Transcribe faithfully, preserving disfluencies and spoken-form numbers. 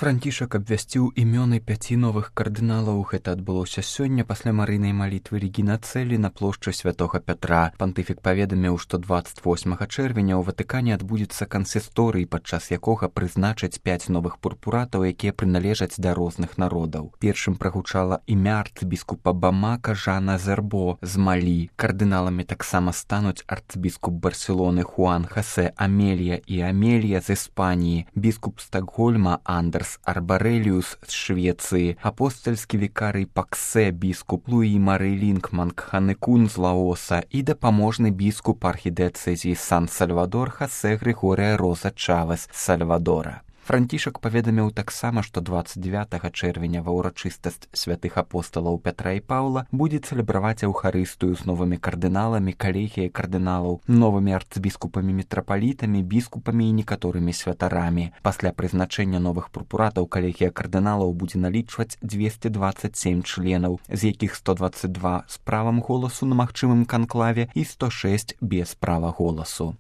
Францішак абвясціў імёны пяці новых кардыналаў. Гэта адбылося сёння пасля марыйнай малітвы Регіна Цэлі на плошчы святога Пятра. Пантыфік паведаміў, што дваццаць восьмага чэрвеня ў Ватыкане адбудзецца кансісторый, падчас якога прызначаць пяць новых пурпуратаў, якія прыналежаць да розных народаў. Першым прагучала імя арцыбіскупа Бамака Жана Зербо з Малі. Кардыналамі таксама стануць арцыбіскуп Барселоны Хуан Хосе Амелія і Амелія з Іспаніі, біскуп Стакгольма Андерс Арбареліус з Швецыі, апостальскі вікарый Паксе біскуп Луі Мары Лінкман Кханекун з Лаоса і дапаможны біскуп архідэцэзіі Сан-Сальвадор Хосе Григорія Роза Чавес з Сальвадора. Францішак паведаміў таксама, што дваццаць дзевятага чэрвеня ва ўрачыстасць святых апосталаў Пятра і Паўла будзе цэлебраваць эўхарыстыю з новымі кардыналамі, калегіяй кардыналаў, новымі арцыбіскупамі, мітрапалітамі, біскупамі і некаторымі святарамі. Пасля прызначэння новых пурпуратаў калегія кардыналаў будзе налічваць дзвесце дваццаць сем членаў, з якіх сто дваццаць два з правам голасу на магчымым канклаве і сто шэсць без права голасу.